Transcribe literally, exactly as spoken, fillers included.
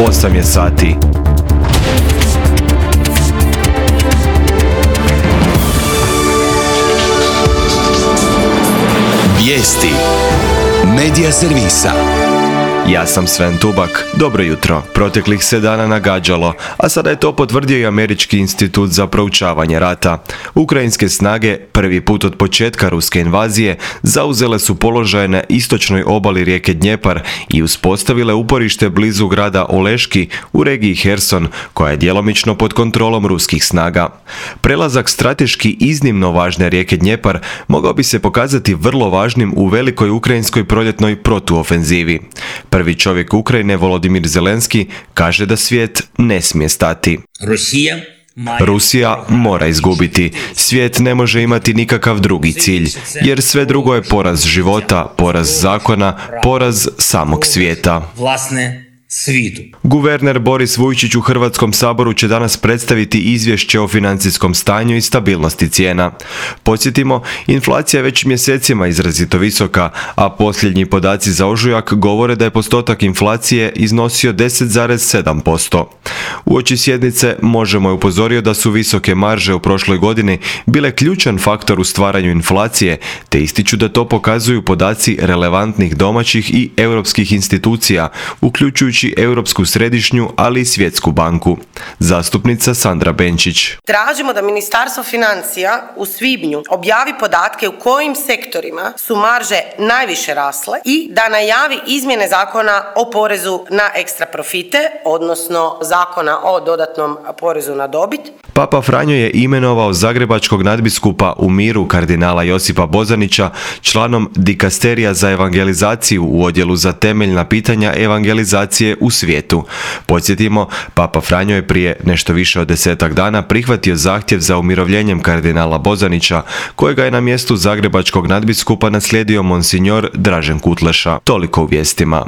osam je sati. Vijesti Medija servisa. Ja sam Sven Tubak. Dobro jutro. Proteklih se dana nagađalo, a sada je to potvrdio i Američki institut za proučavanje rata. Ukrajinske snage prvi put od početka ruske invazije zauzele su položaje na istočnoj obali rijeke Dnjepar i uspostavile uporište blizu grada Oleški u regiji Herson, koja je djelomično pod kontrolom ruskih snaga. Prelazak strateški iznimno važne rijeke Dnjepar mogao bi se pokazati vrlo važnim u velikoj ukrajinskoj proljetnoj protuofenzivi. Prvi čovjek Ukrajine, Volodimir Zelenski, kaže da svijet ne smije stati. Rusija Rusija mora izgubiti. Svijet ne može imati nikakav drugi cilj, jer sve drugo je poraz života, poraz zakona, poraz samog svijeta. Vlasne svijetu. Guverner Boris Vujčić u Hrvatskom saboru će danas predstaviti izvješće o financijskom stanju i stabilnosti cijena. Podsjetimo, inflacija je već mjesecima izrazito visoka, a posljednji podaci za ožujak govore da je postotak inflacije iznosio deset zarez sedam posto. Uoči sjednice Možemo je upozorio da su visoke marže u prošloj godini bile ključan faktor u stvaranju inflacije, te ističu da to pokazuju podaci relevantnih domaćih i europskih institucija, uključujući Europsku središnju, ali i Svjetsku banku. Zastupnica Sandra Benčić. Tražimo da Ministarstvo financija u svibnju objavi podatke u kojim sektorima su marže najviše rasle i da najavi izmjene zakona o porezu na ekstra profite, odnosno zakona o dodatnom porezu na dobit. Papa Franjo je imenovao zagrebačkog nadbiskupa u miru kardinala Josipa Bozanića članom dikasterija za evangelizaciju u odjelu za temeljna pitanja evangelizacije u svijetu. Podsjetimo, Papa Franjo je prije nešto više od desetak dana prihvatio zahtjev za umirovljenjem kardinala Bozanića, kojega je na mjestu zagrebačkog nadbiskupa naslijedio monsignor Dražen Kutleša. Toliko u vijestima.